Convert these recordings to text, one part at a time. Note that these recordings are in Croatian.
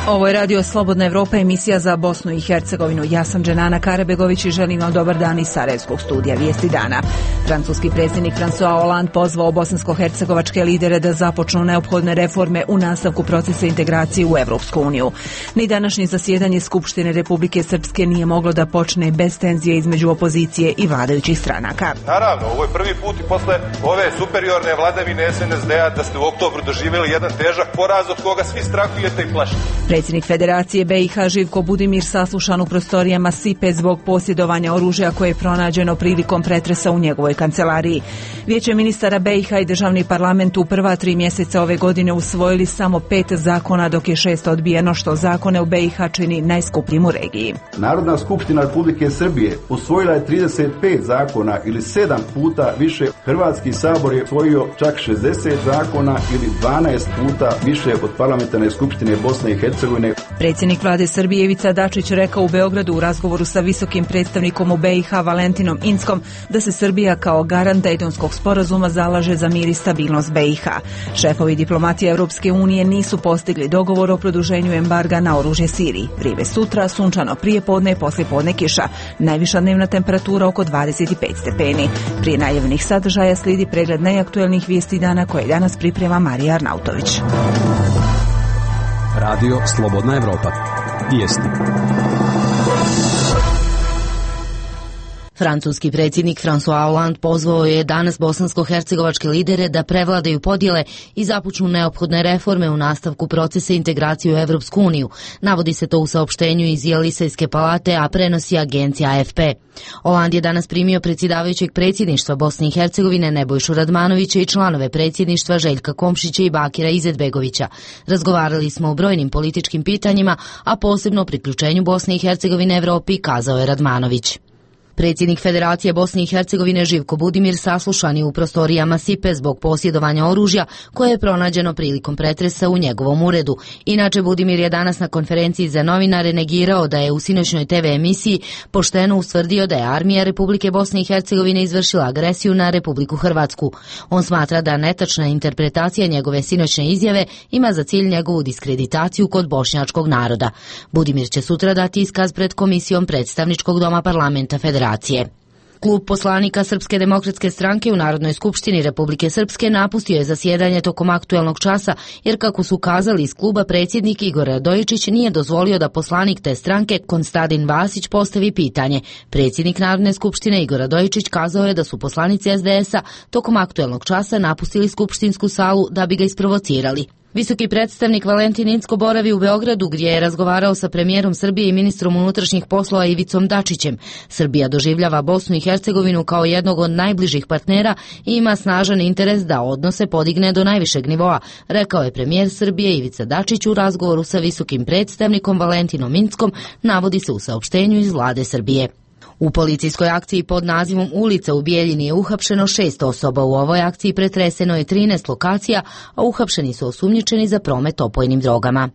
Ovo je Radio Slobodna Evropa, emisija za Bosnu i Hercegovinu. Ja sam Dženana Karabegović i želim vam dobar dan iz Sarajevskog studija Vijesti dana. Francuski predsjednik François Hollande pozvao bosansko-hercegovačke lidere da započnu neophodne reforme u nastavku procesa integracije u Evropsku uniju. Ni današnje zasjedanje Skupštine Republike Srpske nije moglo da počne bez tenzije između opozicije i vladajućih stranaka. Naravno, ovo je prvi put i posle ove superiorne vladavine SNSD-a da ste u oktobru doživjeli jedan težak poraz od koga svi strahujete i plašite. Predsjednik Federacije BiH Živko Budimir saslušan u prostorijama SIPE zbog posjedovanja oružja koje je pronađeno prilikom pretresa u njegovoj kancelariji. Vijeće ministara BiH i državni parlament u prva 3 mjeseca ove godine usvojili samo 5 zakona, dok je 6 odbijeno, što zakone u BiH čini najskupljim u regiji. Narodna skupština Republike Srbije usvojila je 35 zakona ili 7 puta više. Hrvatski sabor je usvojio čak 60 zakona ili 12 puta više od parlamentarne skupštine Bosne i Hercegovine. Predsjednik vlade Srbije Ivica Dačić rekao u Beogradu u razgovoru sa visokim predstavnikom u BiH Valentinom Inckom da se Srbija kao garant Dejtonskog sporazuma zalaže za mir i stabilnost BiH. Šefovi diplomatije Europske unije nisu postigli dogovor o produženju embarga na oružje Siriji. Vrijeme sutra, sunčano prijepodne, poslijepodne kiša. Najviša dnevna temperatura oko 25 stepeni. Prije najavljenih sadržaja slijedi pregled najaktuelnijih vijesti dana koje danas priprema Marija Arnautović. Radio Slobodna Evropa. Vijesti. Francuski predsjednik François Hollande pozvao je danas bosansko-hercegovačke lidere da prevladaju podjele i započnu neophodne reforme u nastavku procesa integracije u Evropsku uniju. Navodi se to u saopštenju iz Jelisejske palate, a prenosi agencija AFP. Hollande je danas primio predsjedavajućeg predsjedništva Bosne i Hercegovine Nebojšu Radmanovića i članove predsjedništva Željka Komšića i Bakira Izetbegovića. Razgovarali smo o brojnim političkim pitanjima, a posebno o priključenju Bosne i Hercegovine Evropi, kazao je Radmanović. Predsjednik Federacije Bosne i Hercegovine Živko Budimir saslušan je u prostorijama SIPE zbog posjedovanja oružja koje je pronađeno prilikom pretresa u njegovom uredu. Inače, Budimir je danas na konferenciji za novinare negirao da je u sinoćnoj TV emisiji pošteno ustvrdio da je armija Republike Bosne i Hercegovine izvršila agresiju na Republiku Hrvatsku. On smatra da netačna interpretacija njegove sinoćne izjave ima za cilj njegovu diskreditaciju kod bošnjačkog naroda. Budimir će sutra dati iskaz pred komisijom predstavničkog doma parlamenta Federacije. Klub poslanika Srpske demokratske stranke u Narodnoj skupštini Republike Srpske napustio je zasjedanje tokom aktuelnog časa, jer kako su kazali iz kluba, predsjednik Igor Radojičić nije dozvolio da poslanik te stranke Konstantin Vasić postavi pitanje. Predsjednik Narodne skupštine Igor Radojičić kazao je da su poslanici SDS-a tokom aktuelnog časa napustili skupštinsku salu da bi ga isprovocirali. Visoki predstavnik Valentin Incko boravi u Beogradu, gdje je razgovarao sa premijerom Srbije i ministrom unutrašnjih poslova Ivicom Dačićem. Srbija doživljava Bosnu i Hercegovinu kao jednog od najbližih partnera i ima snažan interes da odnose podigne do najvišeg nivoa, rekao je premijer Srbije Ivica Dačić u razgovoru sa visokim predstavnikom Valentinom Inckom, navodi se u saopštenju iz vlade Srbije. U policijskoj akciji pod nazivom Ulica u Bijeljini je uhapšeno 6 osoba. U ovoj akciji pretreseno je 13 lokacija, a uhapšeni su osumnjičeni za promet opojnim drogama.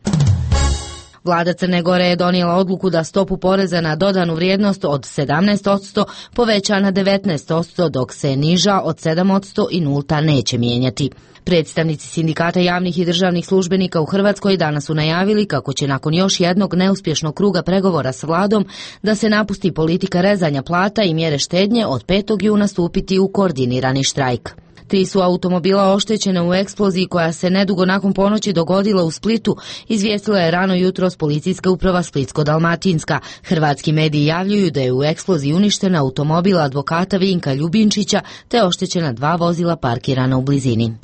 Vlada Crne Gore je donijela odluku da stopu poreza na dodanu vrijednost od 17% poveća na 19%, dok se niža od 7% i nulta neće mijenjati. Predstavnici sindikata javnih i državnih službenika u Hrvatskoj danas su najavili kako će nakon još jednog neuspješnog kruga pregovora s vladom da se napusti politika rezanja plata i mjere štednje od 5. juna stupiti u koordinirani štrajk. 3 su automobila oštećene u eksploziji koja se nedugo nakon ponoći dogodila u Splitu, izvijestila je rano jutros policijska uprava Splitsko-dalmatinska. Hrvatski mediji javljuju da je u eksploziji uništena automobil advokata Vinka Ljubinčića te oštećena 2 vozila parkirana u blizini.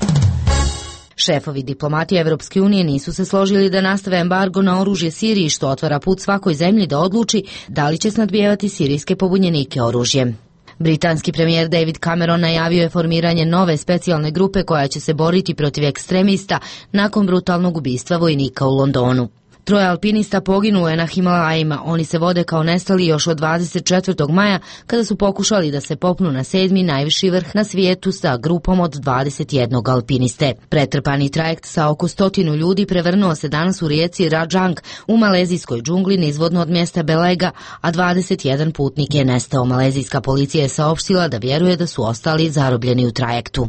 Šefovi diplomatije Evropske unije nisu se složili da nastave embargo na oružje Siriji, što otvara put svakoj zemlji da odluči da li će snadbijevati sirijske pobunjenike oružjem. Britanski premijer David Cameron najavio je formiranje nove specijalne grupe koja će se boriti protiv ekstremista nakon brutalnog ubistva vojnika u Londonu. 3 alpinista poginulo je na Himalajima. Oni se vode kao nestali još od 24. maja kada su pokušali da se popnu na 7. najviši vrh na svijetu sa grupom od 21 alpiniste. Pretrpani trajekt sa oko 100 ljudi prevrnuo se danas u rijeci Rajang u malezijskoj džungli nizvodno od mjesta Belega, a 21 putnik je nestao. Malezijska policija je saopštila da vjeruje da su ostali zarobljeni u trajektu.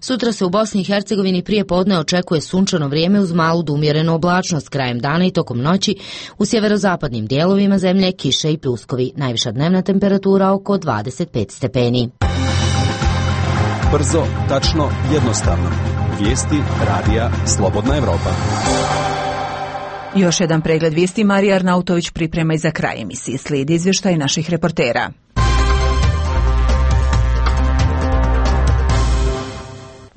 Sutra se u Bosni i Hercegovini prije podne očekuje sunčano vrijeme uz malu do umjerenu oblačnost, krajem dana i tokom noći u sjeverozapadnim dijelovima zemlje kiše i pljuskovi. Najviša dnevna temperatura oko 25 stepeni. Brzo, tačno, jednostavno. Vijesti radija Slobodna Evropa. Još jedan pregled vijesti Marija Arnautović priprema i za kraj emisije. Slijedi izvještaj naših reportera.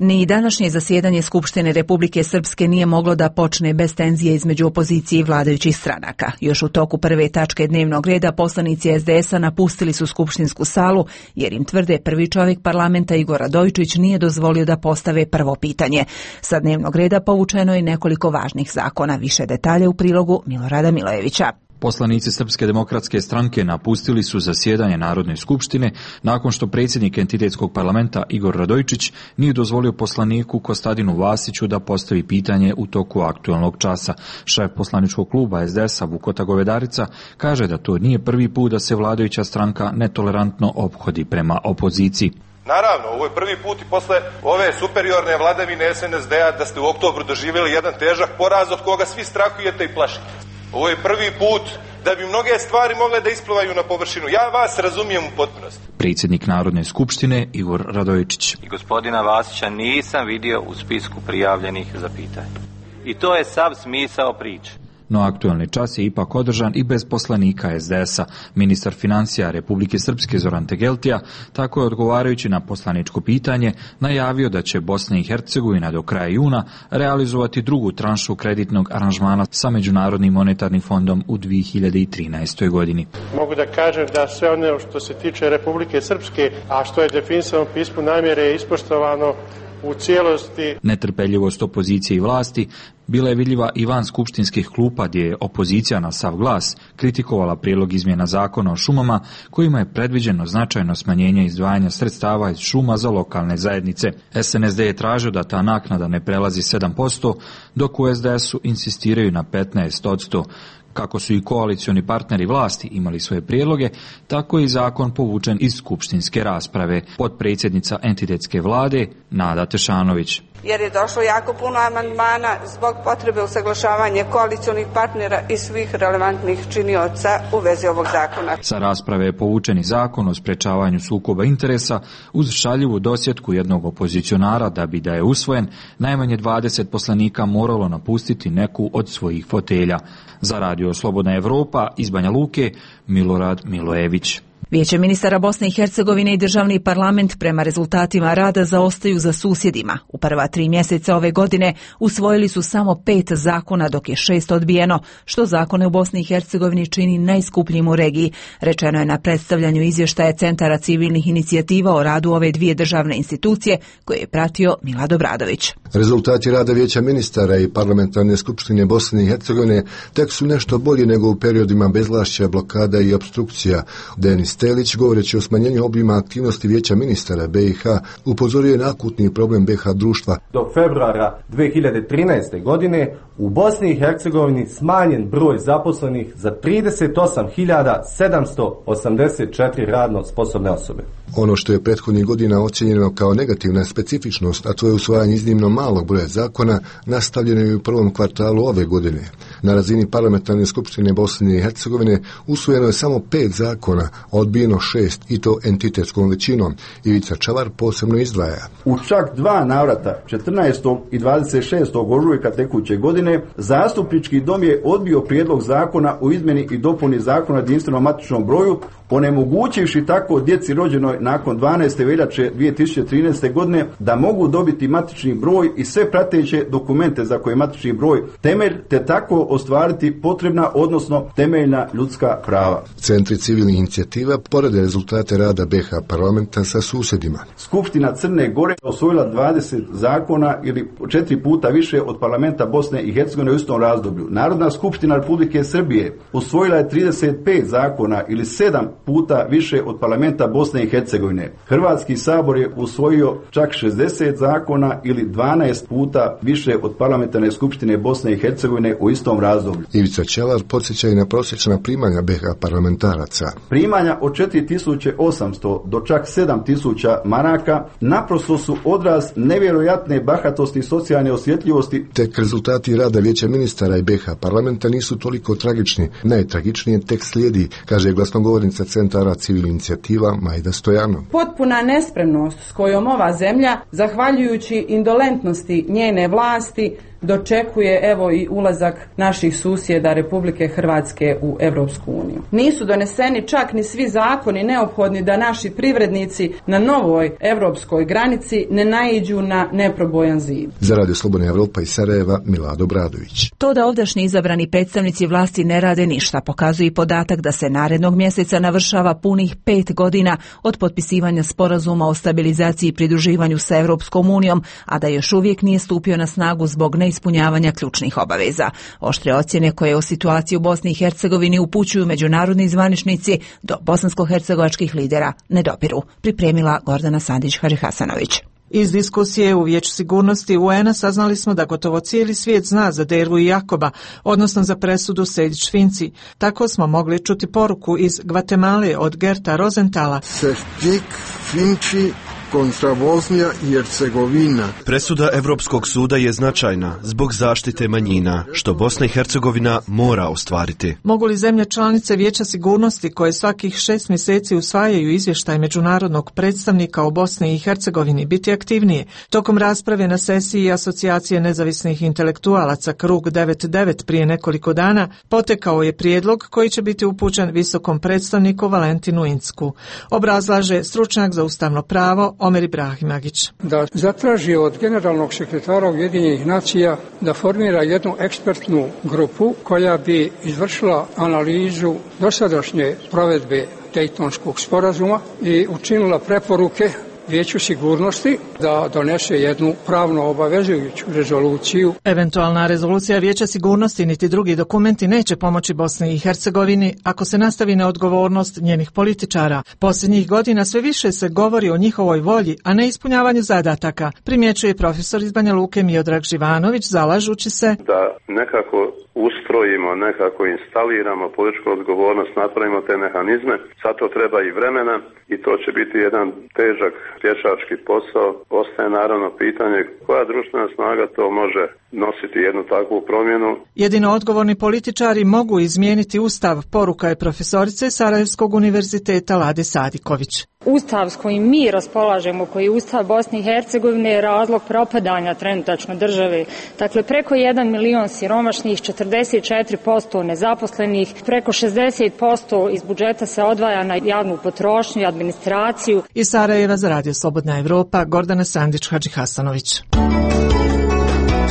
Ni današnje zasjedanje Skupštine Republike Srpske nije moglo da počne bez tenzije između opozicije i vladajućih stranaka. Još u toku prve tačke dnevnog reda poslanici SDS-a napustili su skupštinsku salu jer im tvrde prvi čovjek parlamenta Igor Radojičić nije dozvolio da postave prvo pitanje. Sa dnevnog reda povučeno je nekoliko važnih zakona. Više detalje u prilogu Milorada Milojevića. Poslanici Srpske demokratske stranke napustili su zasjedanje Narodne skupštine nakon što predsjednik entitetskog parlamenta Igor Radojičić nije dozvolio poslaniku Kostadinu Vasiću da postavi pitanje u toku aktualnog časa. Šef poslaničkog kluba SDS-a Vukota Govedarica kaže da to nije prvi put da se vladajuća stranka netolerantno ophodi prema opoziciji. Naravno, ovo je prvi put i posle ove superiorne vladavine SNSD-a da ste u oktobru doživjeli jedan težak poraz od koga svi strahujete i plašite. Ovo je prvi put da bi mnoge stvari mogle da isplivaju na površinu. Ja vas razumijem u potpunosti. Predsjednik Narodne skupštine Igor Radojičić. I gospodina Vasića nisam vidio u spisku prijavljenih za pitanje. I to je sav smisao priče. No aktualni čas je ipak održan i bez poslanika SDS-a. Ministar financija Republike Srpske Zoran Tegeltija tako je odgovarajući na poslaničko pitanje najavio da će Bosna i Hercegovina do kraja juna realizovati drugu tranšu kreditnog aranžmana sa Međunarodnim monetarnim fondom u 2013. godini. Mogu da kažem da sve ono što se tiče Republike Srpske, a što je definisano u pismu namjere je ispoštovano u cijelosti. Netrpeljivost opozicije i vlasti bila je vidljiva i van skupštinskih klupa gdje je opozicija na sav glas kritikovala prijedlog izmjena zakona o šumama kojima je predviđeno značajno smanjenje izdvajanja sredstava iz šuma za lokalne zajednice. SNSD je tražio da ta naknada ne prelazi 7%, dok u SDS-u insistiraju na 15%. Kako su i koalicioni partneri vlasti imali svoje prijedloge, tako je i zakon povučen iz skupštinske rasprave. Potpredsjednica entitetske vlade Nada Tešanović. Jer je došlo jako puno amandmana zbog potrebe usaglašavanja koalicionih partnera i svih relevantnih činioca u vezi ovog zakona. Sa rasprave je povučen i zakon o sprečavanju sukoba interesa uz šaljivu dosjetku jednog opozicionara da bi da je usvojen, najmanje 20 poslanika moralo napustiti neku od svojih fotelja. Za radio Slobodna Evropa iz Banja Luke, Milorad Milojević. Vijeće ministara Bosne i Hercegovine i državni parlament prema rezultatima rada zaostaju za susjedima. U prva 3 mjeseca ove godine usvojili su samo 5 zakona, dok je 6 odbijeno, što zakone u Bosni i Hercegovini čini najskupljim u regiji. Rečeno je na predstavljanju izvještaja Centara civilnih inicijativa o radu ove dvije državne institucije, koje je pratio Milad Obradović. Rezultati rada Vijeća ministara i parlamentarne skupštine Bosne i Hercegovine tek su nešto bolji nego u periodima bezvlašća, blokada i opstrukcija. Denis Stelić, govoreći o smanjenju obima aktivnosti Vijeća ministara BiH, upozorio je na akutni problem BiH društva. Do februara 2013. godine u Bosni i Hercegovini smanjen broj zaposlenih za 38.784 radno sposobne osobe. Ono što je prethodnih godina ocjenjeno kao negativna specifičnost, a to je usvajanje iznimno malog broja zakona, nastavljeno je u prvom kvartalu ove godine. Na razini parlamentarne skupštine Bosne i Hercegovine usvojeno je samo 5 zakona, odbijeno 6 i to entitetskom većinom. Ivica Čavar posebno izdvaja. U čak 2 navrata, 14. i 26. ožujka tekuće godine, Zastupnički dom je odbio prijedlog zakona o izmjeni i dopuni zakona o jedinstvenom matičnom broju, onemogućivši tako djeci rođenoj nakon 12. veljače 2013. godine da mogu dobiti matični broj i sve prateće dokumente za koje je matični broj temelj, te tako ostvariti potrebna, odnosno temeljna ljudska prava. Centri civilnih inicijativa porede rezultate rada BiH parlamenta sa susjedima. Skupština Crne Gore osvojila 20 zakona ili 4 puta više od parlamenta Bosne i Hercegovine u istom razdoblju. Narodna skupština Republike Srbije usvojila je 35 zakona ili 7 puta više od parlamenta Bosne i Hercegovine. Hrvatski sabor je usvojio čak 60 zakona ili 12 puta više od parlamentarne skupštine Bosne i Hercegovine u istom razdoblju. Ivica Ćelar podsjeća i na prosječna primanja BiH parlamentaraca. Primanja od 4800 do čak 7000 maraka naprosto su odraz nevjerojatne bahatosti i socijalne osjetljivosti. Tek rezultati rada Vijeća ministara i BiH parlamenta nisu toliko tragični. Najtragičnije tek slijedi, kaže glasnogovornica Centara civilnih inicijativa Majda Stojanov. Potpuna nespremnost s kojom ova zemlja, zahvaljujući indolentnosti njene vlasti, dočekuje evo i ulazak naših susjeda Republike Hrvatske u Europsku uniju. Nisu doneseni čak ni svi zakoni neophodni da naši privrednici na novoj europskoj granici ne naiđu na neprobojan zid. Za Radio Slobodna Evropa iz Sarajeva, Milado Bradović. To da ovdašnji izabrani predstavnici vlasti ne rade ništa pokazuje i podatak da se narednog mjeseca navršava punih 5 godina od potpisivanja sporazuma o stabilizaciji i pridruživanju sa Europskom unijom, a da još uvijek nije stupio na snagu zbog neispunjavanja ključnih obaveza. Oštre ocjene koje o situaciji u Bosni i Hercegovini upućuju međunarodni zvaničnici do bosansko-hercegovačkih lidera ne dopiru. Pripremila Gordana Sandić-Hadžihasanović. Iz diskusije u Vijeću sigurnosti UN-a saznali smo da gotovo cijeli svijet zna za Dervu i Jakoba, odnosno za presudu Sejdić-Finci. Tako smo mogli čuti poruku iz Gvatemale od Gerta Rosenthala. Sejdić-Finci kontra Bosnija i Hercegovina. Presuda Europskog suda je značajna zbog zaštite manjina, što Bosna i Hercegovina mora ostvariti. Mogu li zemlje članice Vijeća sigurnosti, koje svakih 6 mjeseci usvajaju izvještaj međunarodnog predstavnika o Bosni i Hercegovini, biti aktivnije? Tokom rasprave na sesiji Asocijacije nezavisnih intelektualaca Krug 99 prije nekoliko dana potekao je prijedlog koji će biti upućen visokom predstavniku Valentinu Incku. Obrazlaže stručnjak za ustavno pravo Omer Ibrahimagić. Da zatraži od generalnog sekretara Ujedinjenih nacija da formira jednu ekspertnu grupu koja bi izvršila analizu dosadašnje provedbe Dejtonskog sporazuma i učinila preporuke Vijeću sigurnosti da donese jednu pravno obavezujuću rezoluciju. Eventualna rezolucija Vijeća sigurnosti niti drugi dokumenti neće pomoći Bosni i Hercegovini ako se nastavi neodgovornost njenih političara. Posljednjih godina sve više se govori o njihovoj volji, a ne ispunjavanju zadataka, primjećuje profesor iz Banja Luke Miodrag Živanović, zalažući se da nekako ustrojimo, nekako instaliramo političku odgovornost, napravimo te mehanizme. Sad to treba i vremena i to će biti jedan težak pješački posao. Ostaje naravno pitanje koja društvena snaga to može nositi jednu takvu promjenu. Jedino odgovorni političari mogu izmijeniti ustav, poruka je profesorice Sarajevskog univerziteta Lade Sadiković. Ustav s kojim mi raspolažemo, koji je Ustav Bosne i Hercegovine, je razlog propadanja trenutačno države. Dakle, preko 1 milion siromašnih, 44% nezaposlenih, preko 60% iz budžeta se odvaja na javnu potrošnju i administraciju. Iz Sarajeva za Radio Slobodna Evropa, Gordana Sandić-Hadžihasanović.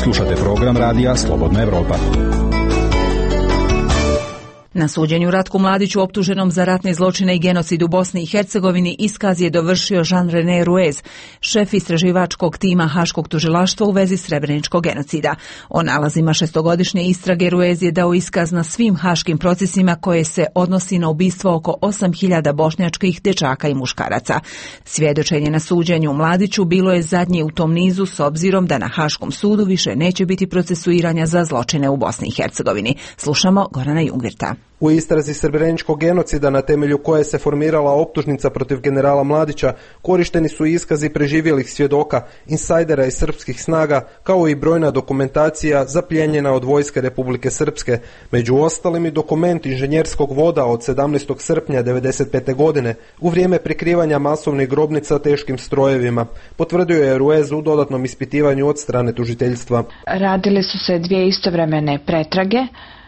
Slušate program Radija Slobodna Evropa. Na suđenju Ratku Mladiću, optuženom za ratne zločine i genocid u Bosni i Hercegovini, iskaz je dovršio Jean-René Ruez, šef istraživačkog tima Haškog tužilaštva u vezi srebreničkog genocida. O nalazima šestogodišnje istrage Ruez je dao iskaz na svim haškim procesima koje se odnosi na ubistvo oko 8000 bošnjačkih dječaka i muškaraca. Svjedočenje na suđenju Mladiću bilo je zadnje u tom nizu s obzirom da na Haškom sudu više neće biti procesuiranja za zločine u Bosni i Hercegovini. Slušamo Gorana Jungvirta. U istrazi srebreničkog genocida na temelju koje se formirala optužnica protiv generala Mladića korišteni su iskazi preživjelih svjedoka, insajdera iz srpskih snaga, kao i brojna dokumentacija zaplijenjena od vojske Republike Srpske, među ostalim i dokument inženjerskog voda od 17. srpnja 1995. godine u vrijeme prikrivanja masovnih grobnica teškim strojevima, potvrdio je Ruez u dodatnom ispitivanju od strane tužiteljstva. Radile su se dvije istovremene pretrage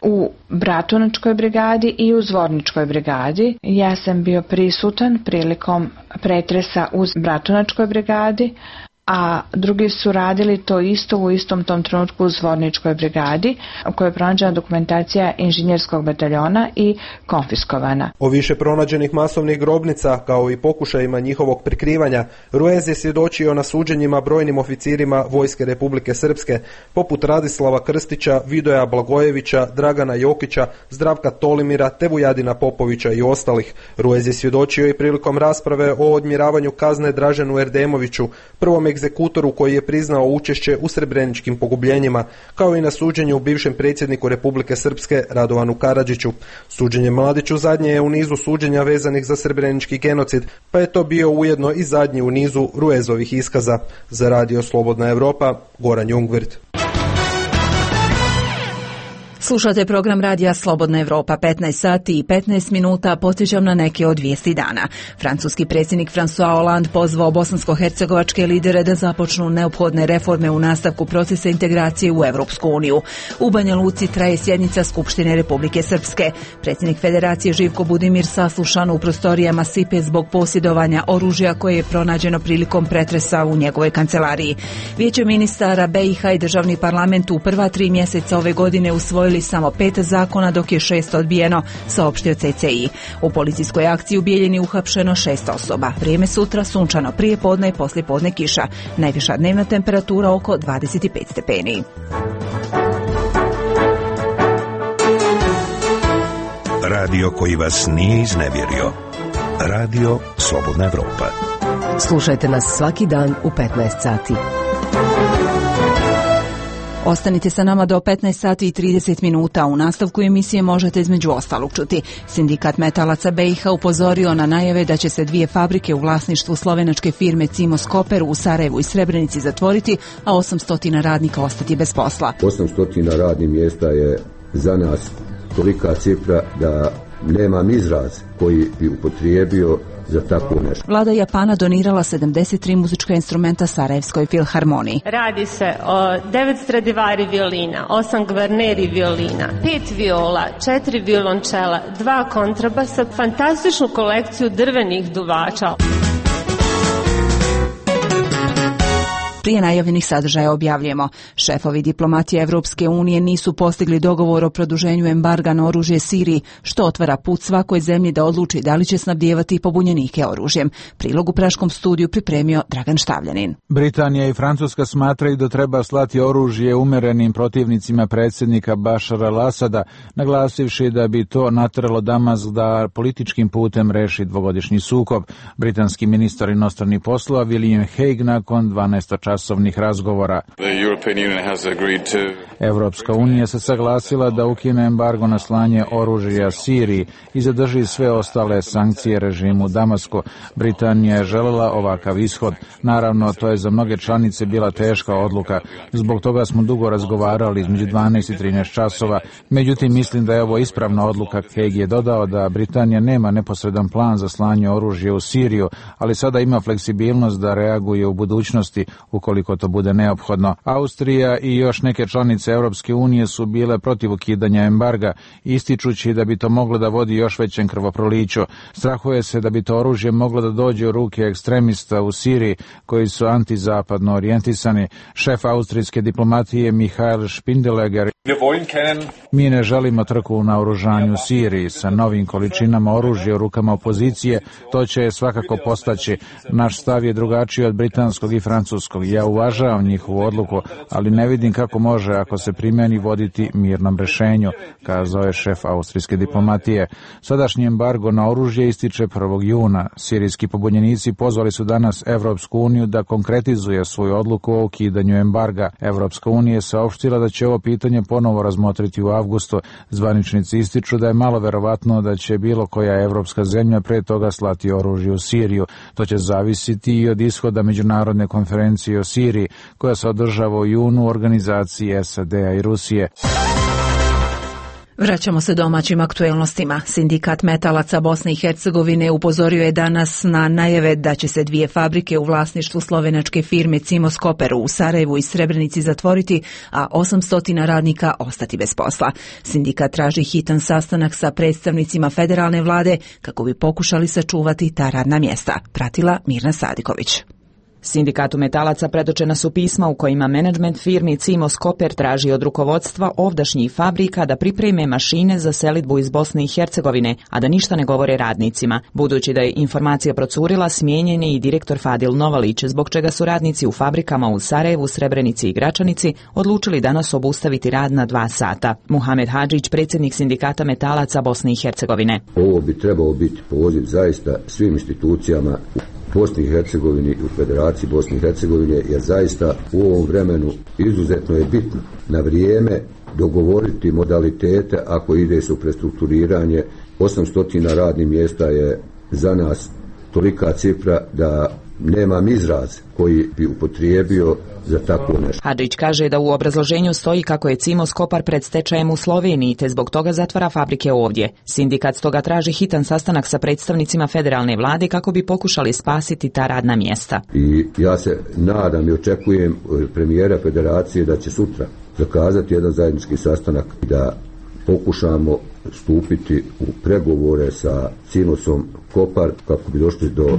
u Bratunačkoj brigadi i u Zvorničkoj brigadi. Ja sam bio prisutan prilikom pretresa u Bratunačkoj brigadi, a drugi su radili to isto u istom tom trenutku u Zvorničkoj brigadi, u kojoj je pronađena dokumentacija inženjerskog bataljona i konfiskovana. O više pronađenih masovnih grobnica, kao i pokušajima njihovog prikrivanja, Ruez je svjedočio na suđenjima brojnim oficirima Vojske Republike Srpske, poput Radislava Krstića, Vidoja Blagojevića, Dragana Jokića, Zdravka Tolimira, te Vujadina Popovića i ostalih. Ruez je svjedočio i prilikom rasprave o odmjeravanju kazne Draženu Erdemoviću, prvom egzekutoru koji je priznao učešće u srebreničkim pogubljenjima, kao i na suđenju bivšem predsjedniku Republike Srpske Radovanu Karadžiću. Suđenje Mladiću zadnje je u nizu suđenja vezanih za srebrenički genocid, pa je to bio ujedno i zadnji u nizu Ruezovih iskaza. Za Radio Slobodna Evropa, Goran Jungwirth. Slušate program radija Slobodna Evropa, 15 sati i 15 minuta, podsjećam na neke od vijesti dana. Francuski predsjednik François Hollande pozvao bosansko-hercegovačke lidere da započnu neophodne reforme u nastavku procesa integracije u Evropsku uniju. U Banja Luci traje sjednica Skupštine Republike Srpske. Predsjednik Federacije Živko Budimir saslušan u prostorijama SIPE zbog posjedovanja oružja koje je pronađeno prilikom pretresa u njegovoj kancelariji. Vijeće ministara BiH i državni parlament u prva 3 mjeseca ove godine usvojili samo 5 zakona, dok je 6 odbijeno, saopštio CCI. U policijskoj akciji u Bijeljini uhapšeno 6 osoba. Vrijeme sutra sunčano, prije podne i poslije podne kiša. Najviša dnevna temperatura oko 25 stepeni. Radio koji vas nije iznevjerio. Radio Slobodna Evropa. Slušajte nas svaki dan u 15 sati. Ostanite sa nama do 15 sati i 30 minuta. U nastavku emisije možete između ostalog čuti. Sindikat metalaca BiH upozorio na najave da će se 2 fabrike u vlasništvu slovenačke firme Cimos Koper u Sarajevu i Srebrenici zatvoriti, a 800 radnika ostati bez posla. 800 radnih mjesta je za nas tolika cifra da nemam izraz koji bi upotrijebio za tako nešto. Vlada Japana donirala 73 muzička instrumenta Sarajevskoj filharmoniji. Radi se o 9 Stradivari violina, 8 Gvarneri violina, 5 viola, 4 violončela, 2 kontrabasa, fantastičnu kolekciju drvenih duvača. Prije najavljenih sadržaja objavljujemo. Šefovi diplomatije Evropske unije nisu postigli dogovor o produženju embarga na oružje Siriji, što otvara put svakoj zemlji da odluči da li će snabdijevati pobunjenike oružjem. Prilog u Praškom studiju pripremio Dragan Štavljanin. Britanija i Francuska smatraju da treba slati oružje umerenim protivnicima predsjednika Bašara al-Asada, naglasivši da bi to nateralo Damask da političkim putem reši dvogodišnji sukob. Britanski ministar inostranih poslova William Hague nakon 12-časovnih razgovora. Evropska unija se saglasila da ukine embargo na slanje oružja Siriji i zadrži sve ostale sankcije režimu Damasku. Britanija je željela ovakav ishod. Naravno, to je za mnoge članice bila teška odluka. Zbog toga smo dugo razgovarali između 12 i 13 časova. Međutim, mislim da je ovo ispravna odluka. Hague je dodao da Britanija nema neposredan plan za slanje oružja u Siriju, ali sada ima fleksibilnost da reaguje u budućnosti ukoliko to bude neophodno. Austrija i još neke članice Europske unije su bile protiv ukidanja embarga, ističući da bi to moglo da vodi još većem krvoproliću. Strahuje se da bi to oružje moglo da dođe u ruke ekstremista u Siriji koji su antizapadno orijentisani. Šef austrijske diplomatije Michael Spindeleger: mi ne želimo trku u naoružanju u Siriji sa novim količinama oružja u rukama opozicije, to će svakako postaći. Naš stav je drugačiji od britanskog i francuskog. Ja uvažavam njihovu odluku, ali ne vidim kako može, ako se primjeni, voditi mirnom rješenju, kazao je šef austrijske diplomatije. Sadašnji embargo na oružje ističe 1. juna. Sirijski pobunjenici pozvali su danas Evropsku uniju da konkretizuje svoju odluku o ukidanju embarga. Evropska unija je saopštila da će ovo pitanje ponovo razmotriti u avgustu. Zvaničnici ističu da je malo verovatno da će bilo koja evropska zemlja pre toga slati oružje u Siriju. To će zavisiti i od ishoda međunarodne konferencije o Siriji, koja se održava u junu u organizaciji SAD-a i Rusije. Vraćamo se domaćim aktuelnostima. Sindikat metalaca Bosne i Hercegovine upozorio je danas na najave da će se 2 fabrike u vlasništvu slovenačke firme Cimos Koper u Sarajevu i Srebrenici zatvoriti, a 800 radnika ostati bez posla. Sindikat traži hitan sastanak sa predstavnicima federalne vlade kako bi pokušali sačuvati ta radna mjesta. Pratila Mirna Sadiković. Sindikatu metalaca predočena su pisma u kojima menadžment firmi Cimos Koper traži od rukovodstva ovdašnjih fabrika da pripreme mašine za selidbu iz Bosne i Hercegovine, a da ništa ne govore radnicima. Budući da je informacija procurila, smijenjen je i direktor Fadil Novalić, zbog čega su radnici u fabrikama u Sarajevu, Srebrenici i Gračanici odlučili danas obustaviti rad na 2 sata. Muhamed Hadžić, predsjednik Sindikata metalaca Bosne i Hercegovine. Ovo bi trebao biti poziv zaista svim institucijama u Bosni i Hercegovini i u Federaciji Bosne i Hercegovine, jer zaista u ovom vremenu izuzetno je bitno na vrijeme dogovoriti modalitete ako ide se u prestrukturiranje. 800 radnih mjesta je za nas tolika cifra da nemam izraz koji bi upotrijebio za tako nešto. Hadžić kaže da u obrazloženju stoji kako je Cimos Kopar pred stečajem u Sloveniji, te zbog toga zatvara fabrike ovdje. Sindikat stoga traži hitan sastanak sa predstavnicima federalne vlade kako bi pokušali spasiti ta radna mjesta. I ja se nadam i očekujem premijera federacije da će sutra zakazati jedan zajednički sastanak i da pokušamo stupiti u pregovore sa Cimosom Kopar kako bi došli do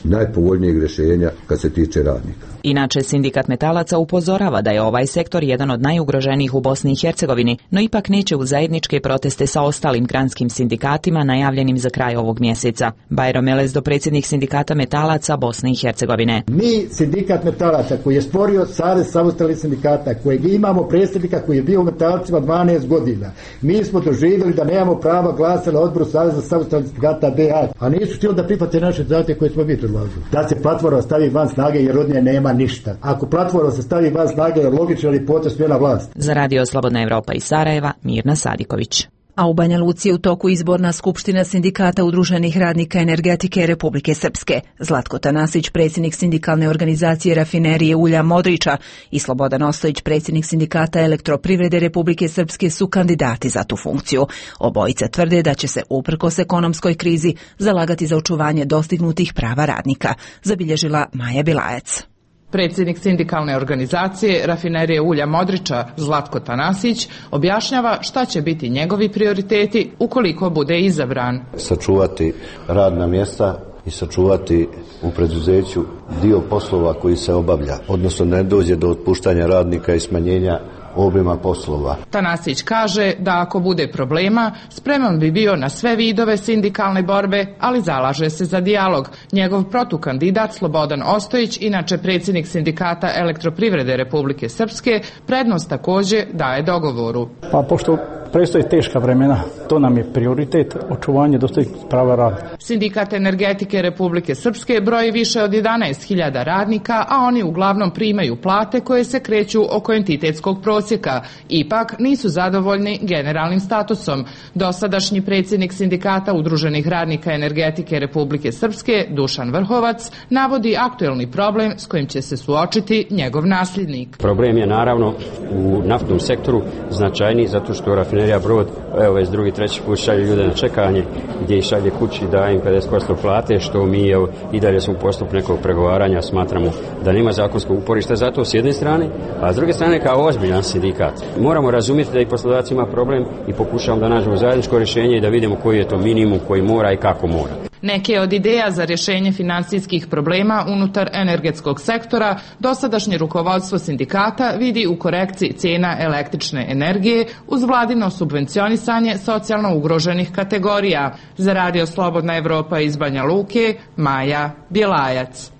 najpovoljnijeg rješenja kad se tiče radnika. Inače, Sindikat metalaca upozorava da je ovaj sektor jedan od najugroženijih u Bosni i Hercegovini, no ipak neće u zajedničke proteste sa ostalim granskim sindikatima najavljenim za kraj ovog mjeseca. Bajro Melezdo, predsjednik Sindikata metalaca Bosne i Hercegovine. Mi, Sindikat metalaca koji je stvorio Savez samostalnih sindikata, kojeg imamo predsjednika koji je bio u metalcima 12 godina, mi smo doživjeli da nemamo prava glasa na odboru Saveza samostalnih sindikata BH, a nisu htjeli da prihvate naše zahtjeve koje smo mi predlažili. Da se platforma stavi van snage jer od nje nema ništa. Ako platforma se stavi van snage, je logično ali potez smjena vlast. Za Radio Slobodna Evropa iz Sarajeva, Mirna Sadiković. A u Banja Luci je u toku izborna skupština Sindikata udruženih radnika energetike Republike Srpske. Zlatko Tanasić, predsjednik sindikalne organizacije Rafinerije ulja Modriča, i Slobodan Ostojić, predsjednik Sindikata elektroprivrede Republike Srpske, su kandidati za tu funkciju. Obojica tvrde da će se uprkos ekonomskoj krizi zalagati za očuvanje dostignutih prava radnika, zabilježila Maja Bilajac. Predsjednik sindikalne organizacije Rafinerije ulja Modriča, Zlatko Tanasić, objašnjava šta će biti njegovi prioriteti ukoliko bude izabran. Sačuvati radna mjesta i sačuvati u preduzeću dio poslova koji se obavlja, odnosno ne dođe do otpuštanja radnika i smanjenja obima poslova. Tanasić kaže da ako bude problema, spreman bi bio na sve vidove sindikalne borbe, ali zalaže se za dijalog. Njegov protukandidat Slobodan Ostojić, inače predsjednik Sindikata elektroprivrede Republike Srpske, prednost također daje dogovoru. Pa pošto predstoje teška vremena, to nam je prioritet, očuvanje dostojanstvenih prava rada. Sindikat energetike Republike Srpske broji više od 11.000 radnika, a oni uglavnom primaju plate koje se kreću oko entitetskog prosjeka. Ipak nisu zadovoljni generalnim statusom. Dosadašnji predsjednik Sindikata udruženih radnika energetike Republike Srpske, Dušan Vrhovac, navodi aktuelni problem s kojim će se suočiti njegov nasljednik. Problem je naravno u naftnom sektoru značajniji zato što Rafinerija Brod, evo već drugi, treći put šalje ljude na čekanje, gdje ih šalje kući, daje im 50% plate, što mi i dalje smo u postupku nekog pregovaranja, smatramo da nema zakonskog uporišta za to s jedne strane, a s druge strane kao ozbiljan sindikat. Moramo razumjeti da i poslodavac ima problem i pokušamo da nađemo zajedničko rješenje i da vidimo koji je to minimum koji mora i kako mora. Neke od ideja za rješenje financijskih problema unutar energetskog sektora dosadašnje rukovodstvo sindikata vidi u korekciji cijena električne energije uz vladino subvencionisanje socijalno ugroženih kategorija. Za Radio Slobodna Evropa iz Banja Luke, Maja Bjelajac.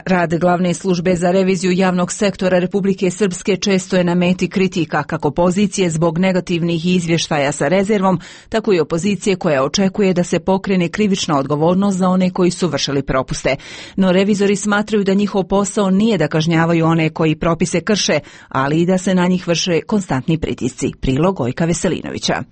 Rad glavne službe za reviziju javnog sektora Republike Srpske često je na meti kritika, kako pozicije zbog negativnih izvještaja sa rezervom, tako i opozicije koja očekuje da se pokrene krivična odgovornost za one koji su vršili propuste. No revizori smatraju da njihov posao nije da kažnjavaju one koji propise krše, ali i da se na njih vrše konstantni pritisci. Prilog Gojka Veselinovića.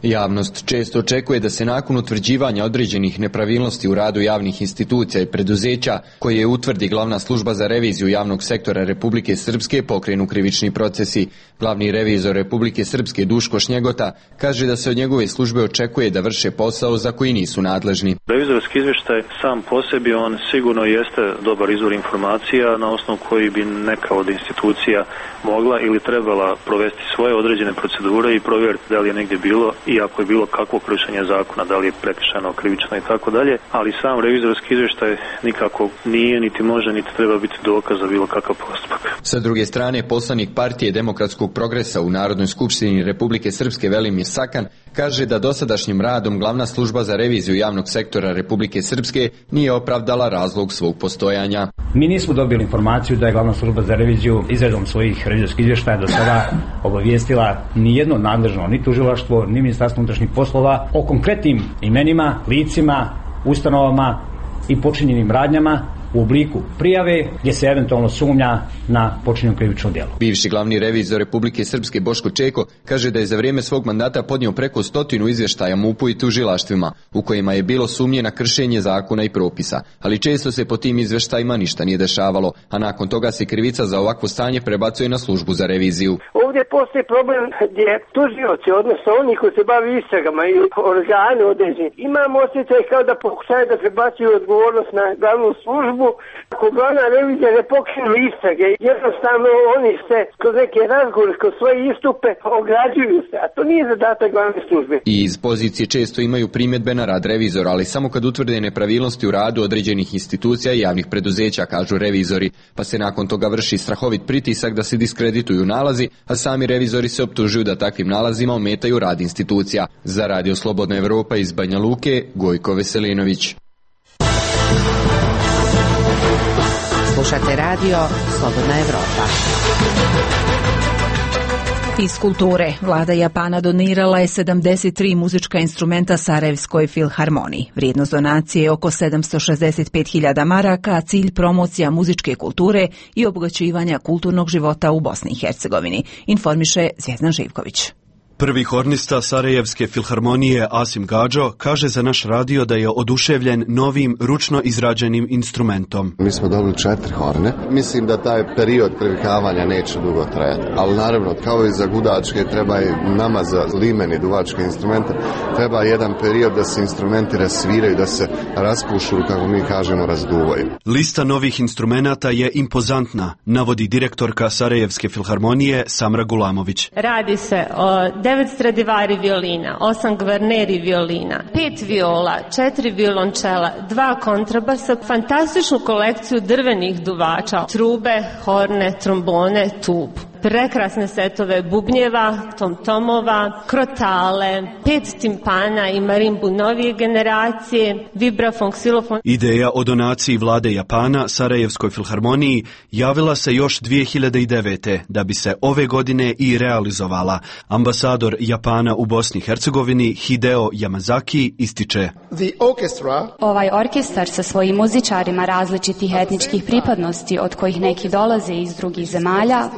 Javnost često očekuje da se nakon utvrđivanja određenih nepravilnosti u radu javnih institucija i preduzeća, koje utvrdi glavna služba za reviziju javnog sektora Republike Srpske, pokrenu krivični procesi. Glavni revizor Republike Srpske Duško Šnjegota kaže da se od njegove službe očekuje da vrše posao za koji nisu nadležni. Revizorski izvještaj sam po sebi, on sigurno jeste dobar izvor informacija na osnovu koji bi neka od institucija mogla ili trebala provesti svoje određene procedure i provjeriti da li je negdje bilo i ako je bilo kakvo kršenje zakona, da li je prekršajno, krivično i tako dalje, ali sam revizorski izvještaj nikako nije, niti može, niti treba biti dokaz za bilo kakav postupak. Sa druge strane, poslanik Partije demokratskog progresa u Narodnoj skupštini Republike Srpske Velimir Sakan kaže da dosadašnjim radom Glavna služba za reviziju javnog sektora Republike Srpske nije opravdala razlog svog postojanja. Mi nismo dobili informaciju da je Glavna služba za reviziju izradom svojih revizorskih izvještaja do sada obavijestila ni jedno nadležno, ni tužilaštvo, ni Ministarstvo unutrašnjih poslova o konkretnim imenima, licima, ustanovama i počinjenim radnjama u obliku prijave gdje se eventualno sumnja na počinjeno krivično djelo. Bivši glavni revizor Republike Srpske Boško Čeko kaže da je za vrijeme svog mandata podnio preko 100 izvještaja MUP-u i tužilaštvima u kojima je bilo sumnje na kršenje zakona i propisa, ali često se po tim izvještajima ništa nije dešavalo, a nakon toga se krivica za ovakvo stanje prebacuje na službu za reviziju. Ovdje postoji problem gdje tužioci, odnosno oni koji se bavi istragama i organi određeni, imamo osjećaj kao da pokušaju da prebacuju odgovornost na glavnu službu. Ako glavna revizija ne pokrenu istrage, jednostavno oni se kroz neke razgovore, kroz svoje istupe ograđuju se, a to nije zadatak glavne službe. I iz pozicije često imaju primjedbe na rad revizora, ali samo kad utvrde nepravilnosti u radu određenih institucija i javnih preduzeća, kažu revizori, pa se nakon toga vrši strahovit pritisak da se diskredituju nalazi, a sami revizori se optužuju da takvim nalazima ometaju rad institucija. Za Radio Slobodna Evropa iz Banja Luke, Gojko Veselinović. Slušate radio Slobodna Evropa. Iz kulture, vlada Japana donirala je 73 muzička instrumenta Sarajevskoj filharmoniji. Vrijednost donacije je oko 765.000 maraka, a cilj promocija muzičke kulture i obogaćivanja kulturnog života u Bosni i Hercegovini, informiše Zvjezdan Živković. Prvi hornista Sarajevske filharmonije Asim Gadžo kaže za naš radio da je oduševljen novim ručno izrađenim instrumentom. Mi smo dobili 4 horne. Mislim da taj period privikavanja neće dugo trajati. Ali naravno, kao i za gudačke, treba i nama za limeni duvačke instrumente, treba jedan period da se instrumenti rasviraju, da se raspušu, kako mi kažemo, razduvaju. Lista novih instrumenata je impozantna, navodi direktorka Sarajevske filharmonije Samra Gulamović. Radi se o 9 Stradivari violina, 8 Gvarneri violina, 5 viola, 4 violončela, 2 kontrabasa, fantastičnu kolekciju drvenih duvača, trube, horne, trombone, tubu. Prekrasne setove bubnjeva, tomtomova, krotale, 5 timpana i marimbu novije generacije, vibrafon, ksilofon. Ideja o donaciji vlade Japana Sarajevskoj filharmoniji javila se još 2009. da bi se ove godine i realizovala. Ambasador Japana u Bosni i Hercegovini Hideo Yamazaki ističe: Ovaj orkestar sa svojim muzičarima različitih etničkih pripadnosti, od kojih neki dolaze iz drugih zemalja,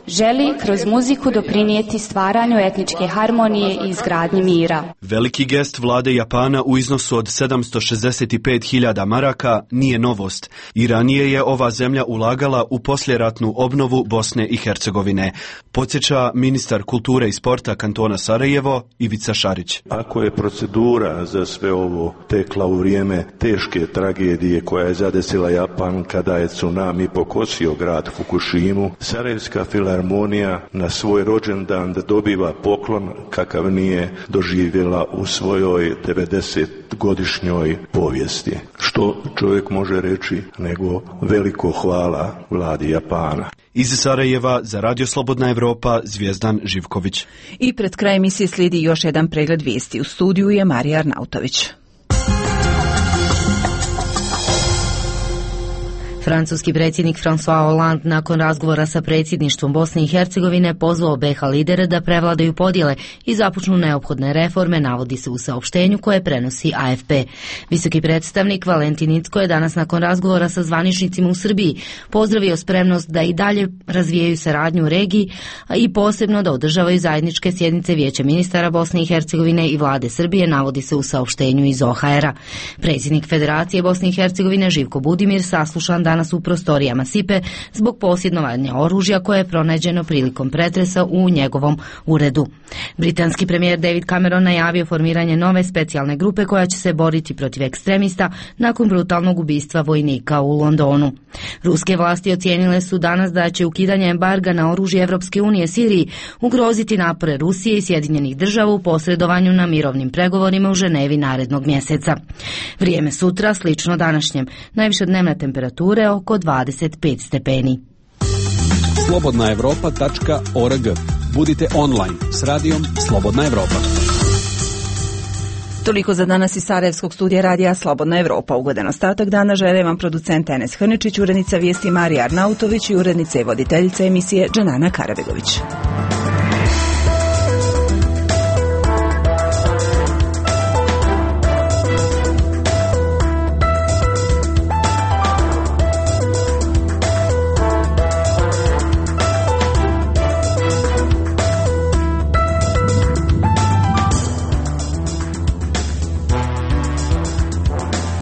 želi kroz muziku doprinijeti stvaranju etničke harmonije i izgradnji mira. Veliki gest vlade Japana u iznosu od 765.000 maraka nije novost. I ranije je ova zemlja ulagala u posljeratnu obnovu Bosne i Hercegovine. Podsjeća ministar kulture i sporta kantona Sarajevo Ivica Šarić. Ako je procedura za sve ovo tekla u vrijeme teške tragedije koja je zadesila Japan kada je tsunami pokosio grad Fukushimu, Sarajevska filharmonija na svoj rođendan dobiva poklon kakav nije doživjela u svojoj 90-godišnjoj povijesti. Što čovjek može reći nego veliko hvala vladi Japana. Iz Sarajeva za Radio Slobodna Evropa Zvjezdan Živković. I pred kraj emisije slijedi još jedan pregled vijesti. U studiju je Marija Arnautović. Francuski predsjednik François Hollande nakon razgovora sa predsjedništvom Bosne i Hercegovine pozvao BiH lidere da prevladaju podjele i započnu neophodne reforme, navodi se u saopštenju koje prenosi AFP. Visoki predstavnik Valentin Incko je danas nakon razgovora sa zvaničnicima u Srbiji pozdravio spremnost da i dalje razvijaju saradnju u regiji i posebno da održavaju zajedničke sjednice Vijeća ministara Bosne i Hercegovine i vlade Srbije, navodi se u saopštenju iz OHR-a. Predsjednik Federacije Bosne i Hercegovine Živko Budimir saslušan danas danas u prostorijama SIPE zbog posjedovanja oružja koje je pronađeno prilikom pretresa u njegovom uredu. Britanski premijer David Cameron najavio formiranje nove specijalne grupe koja će se boriti protiv ekstremista nakon brutalnog ubistva vojnika u Londonu. Ruske vlasti ocijenile su danas da će ukidanje embarga na oružje Evropske unije Siriji ugroziti napore Rusije i Sjedinjenih država u posredovanju na mirovnim pregovorima u Ženevi narednog mjeseca. Vrijeme sutra slično današnjem, najviša dnevna temperature oko 25 stepeni. slobodnaevropa.org. Budite online s radijom Slobodna Evropa. Toliko za danas iz Sarajevskog studija radija Slobodna Evropa. Ugodan ostatak dana žele vam producent Enes Hrničić, urednica vijesti Marija Arnautović i urednica i voditeljica emisije Džanana Karabegović.